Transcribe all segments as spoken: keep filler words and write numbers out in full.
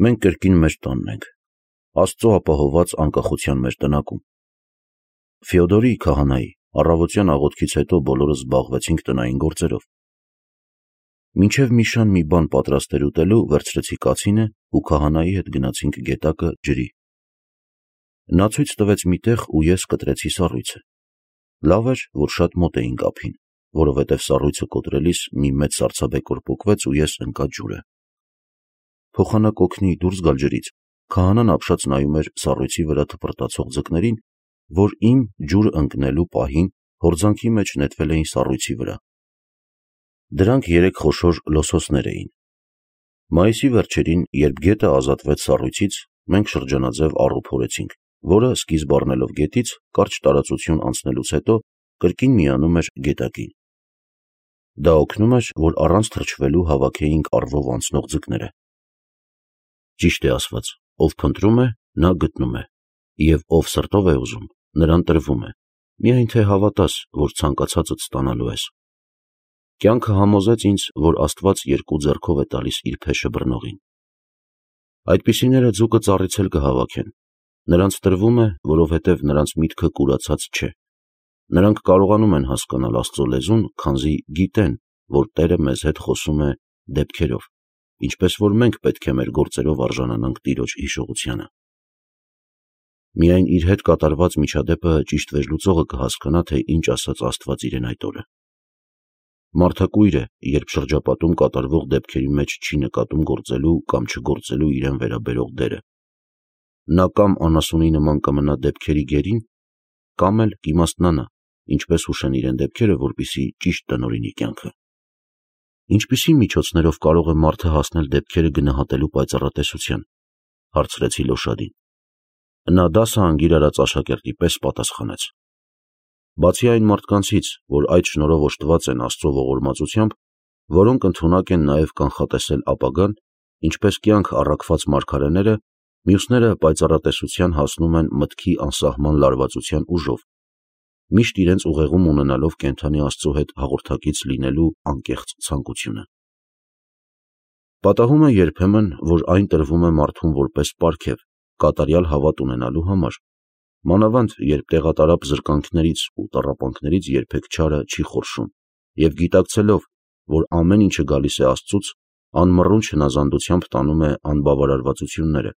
Մենք կրկին մեր տանն ենք, Աստծո ապահովված անկախության մեր տնակում։ Ֆեոդորի քահանայի առավոտյան աղոթքից հետո բոլորս զբաղվեցինք տնային գործերով։ Մինչև Միշան մի բան պատրաստել ուտելու վերցրեցի կացինը ու քահանայի հետ գնացինք գետակը ջրի։ Նա ցույց տվեց մի տեղ ու ես կտրեցի սառույցը։ Լավ էր, որ շատ մոտ էինք ափին, որովհետև սառույցը կոտրելիս մի մեծ սառցաբեկոր պոկվեց ու ես ընկա ջուրը։ Փոխանակ օգնի դուրս գալ ջրից, քահանան ապշած նայում էր սառույցի վրա թպրտացող ձկներին, որ իմ ջուր ընկնելու պահին հորձանքի մեջ նետվել էին սառույցի վրա։ Դրանք երեք խոշոր լոսոսներ էին։ Մայիսի վերջերին, երբ գետը ազատվեց սառույցից, մենք շրջանաձև առու փորեցինք, որը սկիզբ առնելով գետից, կարճ տարածություն անցնելուց հետո կրկին միանում էր գետակին։ Դա օգնում էր, որ առանց թրջվելու հավաքեինք առվով անցնող ձկները։ Ճիշտ է ասված, ով փնտրում է, նա գտնում է, և ով սրտով է ուզում, նրան տրվում է, միայն թե հավատաս, որ ցանկացածդ ստանալու ես։ Կյանքը համոզեց ինձ, որ Աստված երկու ձեռքով է տալիս իր փեշը բռնողին։ Այդպիսիները ձուկը ծառից էլ կհավաքեն։ Նրանց տրվում է, որովհետև նրանց միտքը կուրացած չէ։ Նրանք կարողանում են հասկանալ Աստծո լեզուն, քանզի գիտեն, որ Տերը մեզ հետ խոսում է դեպքերով, ինչպես որ մենք պետք է մեր գործերով արժանանանք Տիրոջ հիշողությանը։ Միայն իր հետ կատարված միջադեպը ճիշտ վերլուծողը կհասկանա, թե ինչ ասաց Աստված իրեն այդ օրը։ Մարդակույր է, երբ շրջապատում կատարվող դեպքերի մեջ չի նկատում գործելու կամ չգործելու իրեն վերաբերող դերը։ Նա կամ անասունի նման կմնա դեպքերի գերին, կամ էլ կիմաստնանա, ինչպես հուշեն իրեն դեպքերը, որպեսզի ճիշտ տնօրինի կյանքը։ Ինչպիսի միջոցներով կարող է մարդը հասնել դեպքերը գնահատելու պայծառատեսության, հարցրեցի Լոշադին։ Նա դասը անգիր արած աշակերտի պես պատասխանեց. Բացի այն մարդկանցից, որ այդ շնորհով օժտված են Աստծո ողորմածությամբ, որոնք ընդունակ են նաև կանխատեսել ապագան, ինչպես կյանք առաքված մարգարեները, մյուսները պայծառատեսության հասնում են մտքի անսահման լարվածության ուժով, միշտ իրենց ուղեղում ունենալով կենդանի Աստծո հետ հաղորդակից լինելու անկեղծ ցանկությունը։ Պատահում է երբեմն, որ այն տրվում է մարդուն որպես պարգև, կատարյալ հավատ ունենալու համար, մանավանդ երբ տեղատարափ զրկանքներից ու տառապանքներից երբեք չարը չի խորշում, և գիտակցելով, որ ամեն ինչը գալիս է Աստծուց, անմռունչ հնազանդությամբ տանում է անբավարարվածությունները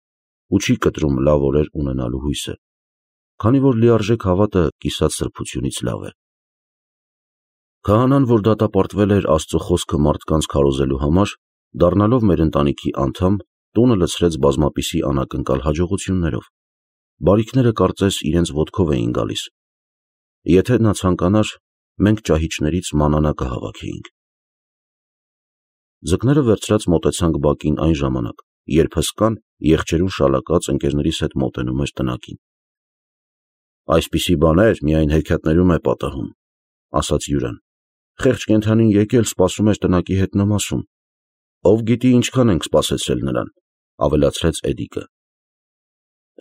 ու չի կտրում լավ օրեր ունենալու հույսը, քանի որ լիարժեք հավատը կիսատ սրբությունից լավ է։ Քահանան, որ դատապարտվել էր Աստծո խոսքը մարդկանց քարոզելու համար, դառնալով մեր ընտանիքի անդամ, տունը լցրեց բազմապիսի անակնկալ հաջողություններով։ Բարիքները կարծես իրենց ոտքով էին գալիս։ Եթե նա ցանկանար, մենք ճահիճներից մանանա կհավաքեինք։ Ձկները վերցրած մոտեցանք բակին այն ժամանակ, երբ հսկան, եղջերուն շալակած ընկերներիս հետ մոտենում էր տնակին։ Այսպիսի բաներ միայն հեքիաթներում է պատահում, ասաց Յուրան։ Խեղճ կենդանին եկել սպասում էր տնակի հետ նամասում։ Ով գիտի ինչքան ենք սպասեցրել նրան, ավելացրեց Էդիկը։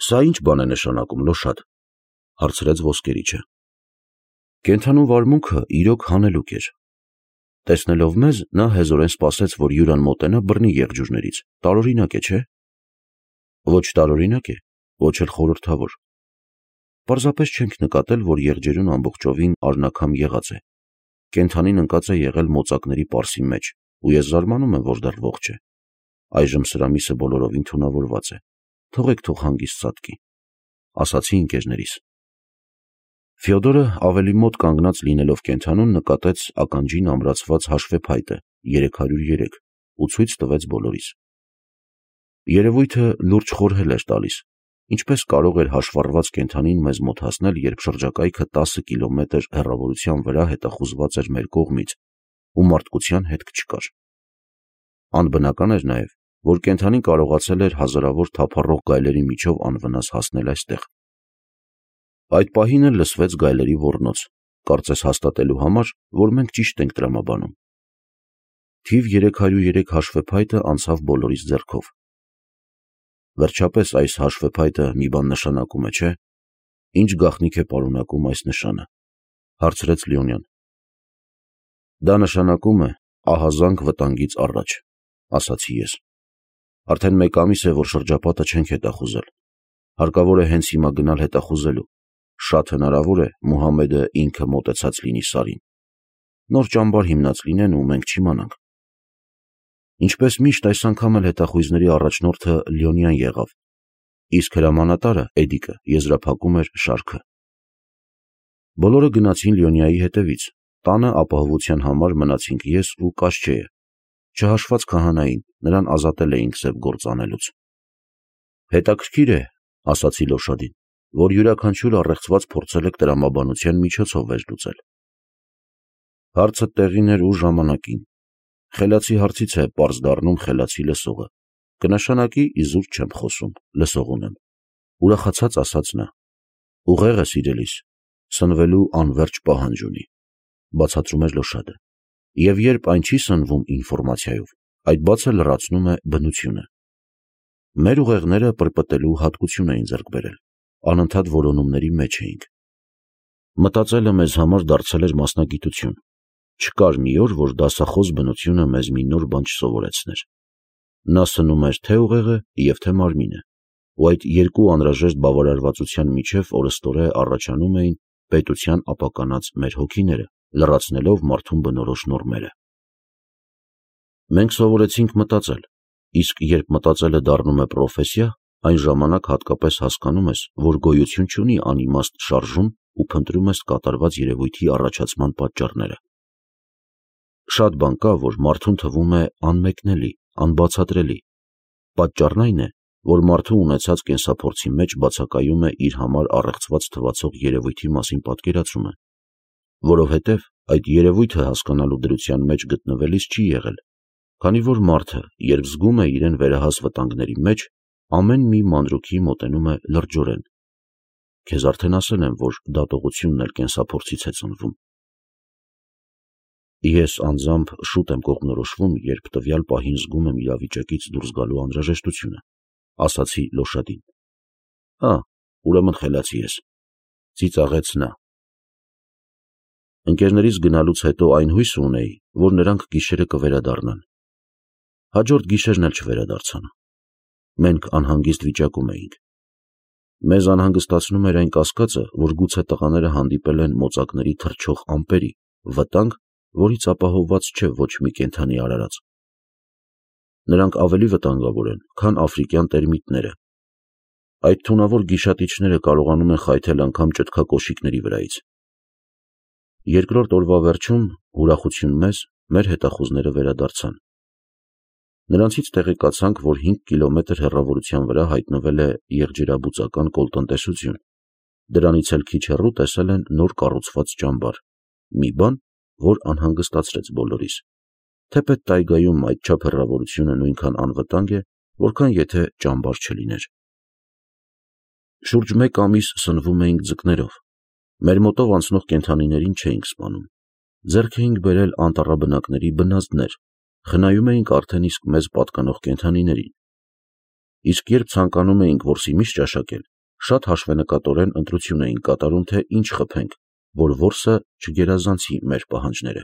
Սա ի՞նչ բան է նշանակում, Լոշադ, հարցրեց ոսկերիչը։ Կենդանու վարմունքը իրոք հանելուկ էր։ Տեսնելով մեզ, նա հեզորեն սպասեց, որ Յուրան մոտենա բռնի եղջյուրներից, տարօրինակ է, չէ՞։ Ոչ տարօրինակ է, ոչ էլ խորհրդավոր։ Պարզապես չենք նկատել, որ եղջերուն ամբողջովին արնաքամ եղած է։ Կենդանին ընկած է եղել մոծակների պարսի մեջ, ու ես զարմանում եմ, որ դեռ ողջ է։ Այժմ սրա միսը բոլորովին թունավորված է։ Թողեք թող հանգիստ ծածկի, ասացի ընկերներիս։ Ֆեոդորը ավելի մոտ կանգնած լինելով կենդանուն նկատեց ականջին ամրացված հաշվեփայտը երեք հարյուր երեք ու ցույց տվեց բոլորիս։ Երևույթը լուրջ խորհել էր տալիս, ինչպես կարող էր հաշվառված կենդանին մեզ մոտ հասնել, երբ շրջակայքը տասը կիլոմետր հեռավորության վրա հետախուզված էր մեր կողմից ու մարդկության հետք չկար։ Անբնական էր նաև, որ կենդանին կարողացել էր հազարավոր թափառող գայլերի միջով անվնաս հասնել այստեղ։ Այդ պահին էլ լսվեց գայլերի ոռնոց, կարծես հաստատելու համար, որ մենք ճիշտ ենք տրամաբանում։ Թիվ երեք հարյուր երեք հաշվեփայտը անցավ բոլորիս ձեռքով։ Վերջապես այս հաշվեփայտը մի բան նշանակում է, չէ՞։ Ինչ գաղտնիք է պարունակում այս նշանը, հարցրեց Լեոնյան։ Դա նշանակում է ահազանգ վտանգից առաջ, ասացի ես։ Արդեն մեկ ամիս է, որ շրջապատը չենք հետախուզել։ Հարկավոր է հենց հիմա գնալ հետախուզելու։ Շատ հնարավոր է Մուհամեդը ինքը մոտեցած լինի Սարին։ Նոր ճամբար հիմնած լինեն ու մենք չիմանանք։ Ինչպես միշտ այս անգամ էլ հետախույզների առաջնորդը Լյոնյան եղավ, իսկ հրամանատարը Էդիկը եզրափակում էր շարքը։ Բոլորը գնացին Լյոնյայի հետևից, տանը ապահովության համար մնացինք ես ու Կաշչեը, չհաշված քահանային, նրան ազատել էինք սև գործ անելուց։ Հետաքրքիր է, ասացի Լոշադին, որ յուրաքանչյուր առեղծված փորձել եք տրամաբանության միջոցով վերլուծել։ Հարցը տեղին էր ու ժամանակին։ Խելացի հարցից է պարզ դառնում խելացի լսողը։ Կնշանակի իզուր չեմ խոսում, լսող ունեմ։ Ուրախացած ասաց նա. ուղեղը սիրելիս, սնվելու անվերջ պահանջ ունի, բացատրում էր Լոշադը։ Եվ երբ այն չի սնվում ինֆորմացիայով, այդ բացը լրացնում է բնությունը։ Մեր ուղեղները պրպտելու հատկություն էին ձեռք բերել, անընդհատ որոնումների մեջ էինք։ Մտածելը մեզ համար դարձել էր մասնագիտություն։ Չկար մի օր, որ դասախոս բնությունը մեզ մի նոր բան չսովորեցներ։ Նա սնում էր թե ուղեղը և թե մարմինը, ու այդ երկու անհրաժեշտ բավարարվածության միջև օրըստօրե առաջանում էին պետության ապականած մեր հոգիները, լրացնելով մարդուն բնորոշ նորմերը։ Մենք սովորեցինք մտածել, իսկ երբ մտածելը դառնում է պրոֆեսիա, այն ժամանակ հատկապես հասկանում ես, որ գոյություն չունի անիմաստ շարժում ու փնտրում ես կատարված երևույթի առաջացման պատճառները։ Շատ բան կա, որ մարդուն թվում է անմեկնելի, անբացատրելի։ Պատճառն այն է, որ մարդու ունեցած կենսափորձի մեջ բացակայում է իր համար առեղծված թվացող երևույթի մասին պատկերացումը, որովհետև այդ երևույթը հասկանալու դրության մեջ գտնվելիս չի եղել, քանի որ մարդը, երբ զգում է իրեն վերահաս վտանգների մեջ, ամեն մի մանրուքի մոտենում է լրջորեն։ Քեզ արդեն ասել եմ, որ դատողությունն էլ կենսափորձից է ծնվում։ Ես անձամբ շուտ եմ կողմնորոշվում, երբ տվյալ պահին զգում եմ իրավիճակից դուրս գալու անհրաժեշտությունը, ասացի Լոշադին։ Ա, ուրեմն խելացի ես, ծիծաղեց նա։ Ընկերներիս գնալուց հետո այն հույսը ունեի, որ նրանք գիշերը կվերադառնան։ Հաջորդ գիշերն էլ չվերադարձան։ Մենք անհանգիստ վիճակում էինք։ Մեզ անհանգստացնում էր այն կասկածը, որ գուցե տղաները հանդիպել են մոծակների թռչող ամպերի, վտանգ, որից ապահովված չէ ոչ մի կենդանի արարած։ Նրանք ավելի վտանգավոր են, քան աֆրիկյան տերմիտները։ Այդ թունավոր գիշատիչները կարողանում են խայթել անգամ ճտկակոշիկների վրայից։ Երկրորդ օրվա վերջում, ուրախություն մեզ, մեր հետախուզները վերադարձան։ Նրանցից տեղեկացանք, որ հինգ կիլոմետր հեռավորության վրա հայտնվել է եղջերաբուծական կոլտնտեսություն, դրանից էլ քիչ հեռու տեսել են նոր կառուցված ճամբար, մի բան, որ անհանգստացրեց բոլորիս, թեպետ տայգայում այդչափ հեռավորությունը նույնքան անվտանգ է, որքան եթե ճամբար չլիներ։ Շուրջ մեկ ամիս սնվում էինք ձկներով, մեր մոտով անցնող կենդանիներին չէինք սպանում, ձեռք էինք բերել անտառաբնակների բնազդներ, խնայում էինք արդեն իսկ մեզ պատկանող կենդանիներին։ Իսկ երբ ցանկանում էինք որսի միշ ճաշակել, շատ հաշվենկատորեն ընտրություն էինք կատարում, թե ինչ խփենք, որ որսը չգերազանցի մեր պահանջները։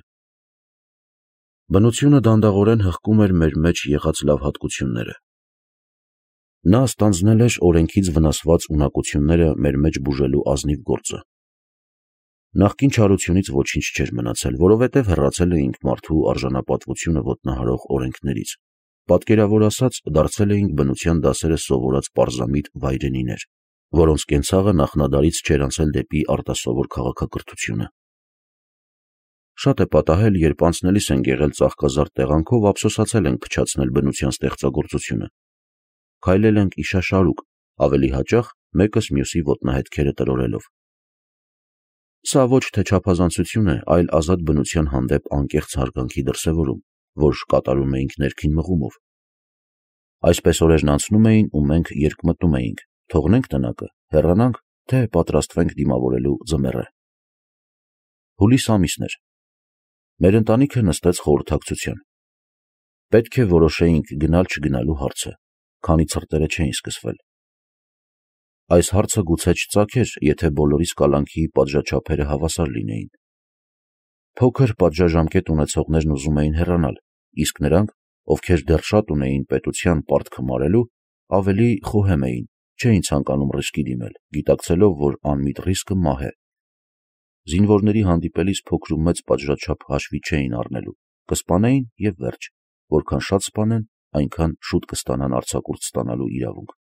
Բնությունը դանդաղորեն հղկում էր մեր մեջ եղած լավ հատկությունները։ Նա ստանձնել էր օրենքից վնասված ունակությունները մեր մեջ բուժելու ազնիվ գործը։ Նախկին չարությունից ոչինչ չէր մնացել, որովհետև հեռացել էինք մարդու արժանապատվությունը ոտնահարող օրենքներից, պատկերավոր ասած, դարձել էինք բնության դասերը սովորած պարզամիտ վայրենիներ, որոնց կենցաղը նախնադարից չէր անցել դեպի արտասովոր քաղաքակրթությունը։ Շատ է պատահել, երբ անցնելիս ենք եղել ծաղկազարդ տեղանքով, ափսոսացել ենք փչացնել բնության ստեղծագործությունը։ Քայլել ենք իշաշարուկ, ավելի հաճախ մեկս մյուսի ոտնահետքերը տրորելով։ Սա ոչ թե չափազանցություն է, այլ ազատ բնության հանդեպ անկեղծ հարգանքի դրսևորում, որ կատարում էինք ներքին մղումով։ Այսպես օրերն անցնում էին ու մենք երկմտում էինք, թողնենք տնակը, հեռանանք, թե պատրաստվենք դիմավորելու ձմեռը։ Հուլիս ամիսն էր։ Մեր ընտանիքը նստեց խորհրդակցության։ Պետք է որոշեինք գնալ-չգնալու հարցը, քանի ցրտերը չէին սկսվել։ Այս հարցը գուցե չծագեր, եթե բոլորիս կալանքի պատժաչափերը հավասար լինեին։ Փոքր պատժաժամկետ ունեցողներն ուզում էին հեռանալ, իսկ նրանք, ովքեր դեռ շատ ունեին պետության պարտքը մարելու, ավելի խոհեմ էին, չէին ցանկանում ռիսկի դիմել, գիտակցելով, որ անմիտ ռիսկը մահ է։ Զինվորների հանդիպելիս փոքր ու մեծ պատժաչափ հաշվի չէին առնելու, կսպանեին և վերջ, որքան շատ սպանեն, այնքան շուտ կստանան արձակուրդ ստանալու իրավունք։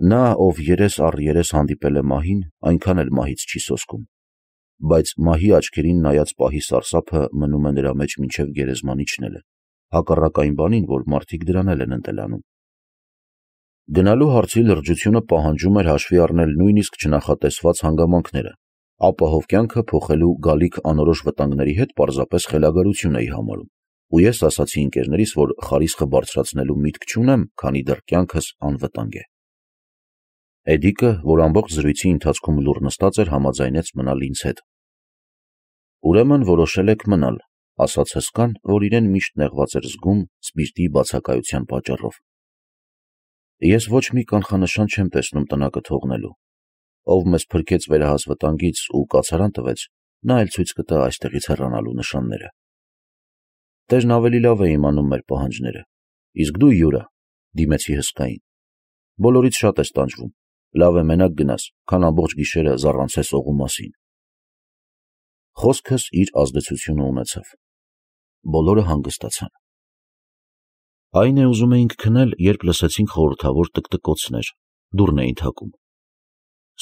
Նա, ով երես առ երես հանդիպել է մահին, այնքան էլ մահից չի սոսկում, բայց մահի աչքերին նայած պահի սարսափը մնում է նրա մեջ մինչև գերեզման իջնելը, հակառակ այն բանին, որ մարդիկ դրան էլ են ընտելանում։ Գնալու հարցի լրջությունը պահանջում էր հաշվի առնել նույնիսկ չնախատեսված հանգամանքները, ապահով կյանքը փոխելու գալիք անորոշ վտանգների հետ պարզապես խելագարություն էի համարում, ու ես ասացի ընկերներիս, որ խարիսխը բարձրացնելու միտք չունեմ, քանի դեռ կյանքս անվտանգ է։ Էդիկը, որ ամբողջ զրույցի ընթացքում լուռ նստած էր, համաձայնեց մնալ ինձ հետ։ Ուրեմն որոշել եք մնալ, ասաց հսկան, որ իրեն միշտ նեղված էր զգում սպիրտի բացակայության պատճառով։ Ես ոչ մի կանխանշան չեմ տեսնում տնակը թողնելու։ Ով մեզ փրկեց վերահաս վտանգից ու կացարան տվեց, նա էլ ցույց կտա այստեղից հեռանալու նշանները։ Տերն ավելի լավ է իմանում մեր պահանջները, իսկ դու, Յուրա, դիմեցի հսկային, բոլորից շատ ես տանջվում, լավ է մենակ գնաս, քան ամբողջ գիշերը զառանցես օղու մասին։ Խոսքս իր ազդեցությունը ունեցավ։ Բոլորը հանգստացան։ Այն է, ուզում էինք քնել, երբ լսեցինք խորհրդավոր տկտկոցներ, դուռն էին թակում։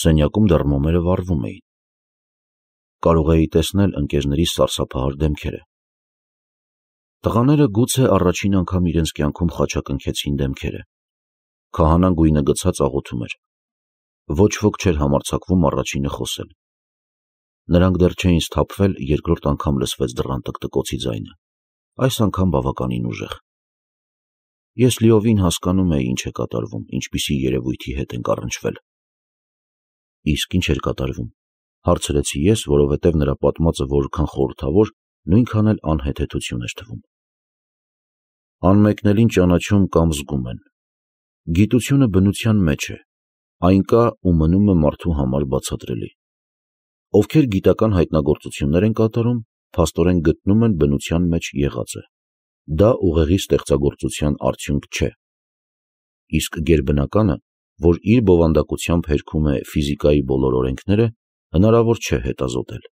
Սենյակում դեռ մոմերը վառվում էին։ Կարող էի տեսնել ընկերներիս սարսափահար դեմքերը։ Տղաները գուցե առաջին անգամ իրենց կյանքում խաչակնքեցին դեմքերը։ Քահանան գույնը գցած աղոթում էր։ Ոչ ոք չէր համարձակվում առաջինը խոսել։ Նրանք դեռ չէին սթափվել, երկրորդ անգամ լսվեց դռան տկտկոցի ձայնը, այս անգամ բավականին ուժեղ։ Ես լիովին հասկանում էի ինչ է կատարվում, ինչպիսի երևույթի հետ ենք առնչվել։ Իսկ ինչ էր կատարվում, հարցրեցի ես, որովհետև նրա պատմածը որքան խորհրդավոր, նույնքան էլ անհեթեթություն էր թվում։ Անմեկնելին ճանաչում կամ զգում են։ Գիտությունը բնության մեջ է, այն կա ու մնում է մարդու համար բացատրելի։ Ովքեր գիտական հայտնագործություններ են կատարում, փաստորեն գտնում են բնության մեջ եղածը։ Դա ուղեղի ստեղծագործության արդյունք չէ։ Իսկ գերբնականը, որ իր բովանդակությամբ հերքում է ֆիզիկայի բոլոր օրենքները, հնարավոր չէ հետազոտել։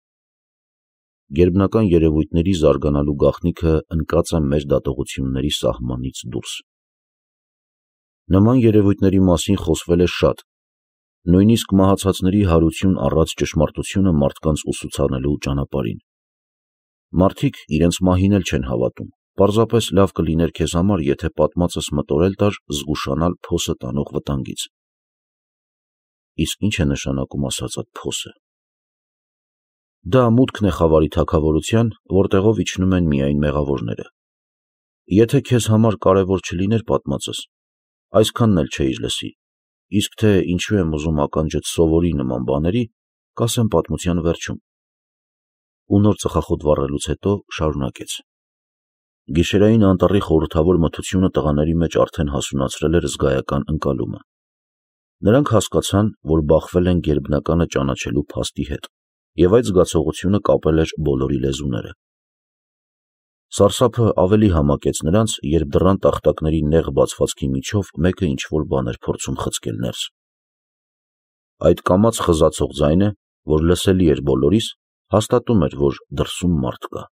Գերբնական երևույթների զարգանալու գաղտնիքը ընկած է մեր դատողությունների սահմանից դուրս։ Նման երևույթների մասին խոսվել է շատ, նույնիսկ մահացածների հարություն առած ճշմարտությունը մարդկանց ուսուցանելու ճանապարհին։ Մարդիկ իրենց մահին էլ չեն հավատում, պարզապես լավ կլիներ քեզ համար, եթե պատմածս մտորել տար զգուշանալ փոսը տանող վտանգից։ Իսկ ինչ է նշանակում ասած այդ փոսը։ Դա մուտքն է խավարի թագավորության, որտեղով իջնում են միայն մեղավորները։ Եթե քեզ համար կարևոր չլիներ պատմածս, այսքանն էլ չէիր լսի, իսկ թե ինչու եմ ուզում ականջդ սովորի նման բաների, կասեմ պատմության վերջում։ Ու նոր ծխախոտ վառելուց հետո շարունակեց. Գիշերային անտառի խորհրդավոր մթությունը տղաների մեջ արդեն հասունացրել էր զգայական ընկալումը։ Նրանք հասկացան, որ բախվել են գերբնականը ճանաչելու փաստի հետ, և այդ զգացողությունը կապել էր բոլորի լեզուները։ Սարսափը ավելի համակեց նրանց, երբ դռան տախտակների նեղ բացվածքի միջով մեկը ինչ-որ բան էր փորձում խցկել ներս։ Այդ կամաց խզացող ձայնը, որ լսելի էր բոլորիս, հաստատում էր, որ դրսում մարդ կա։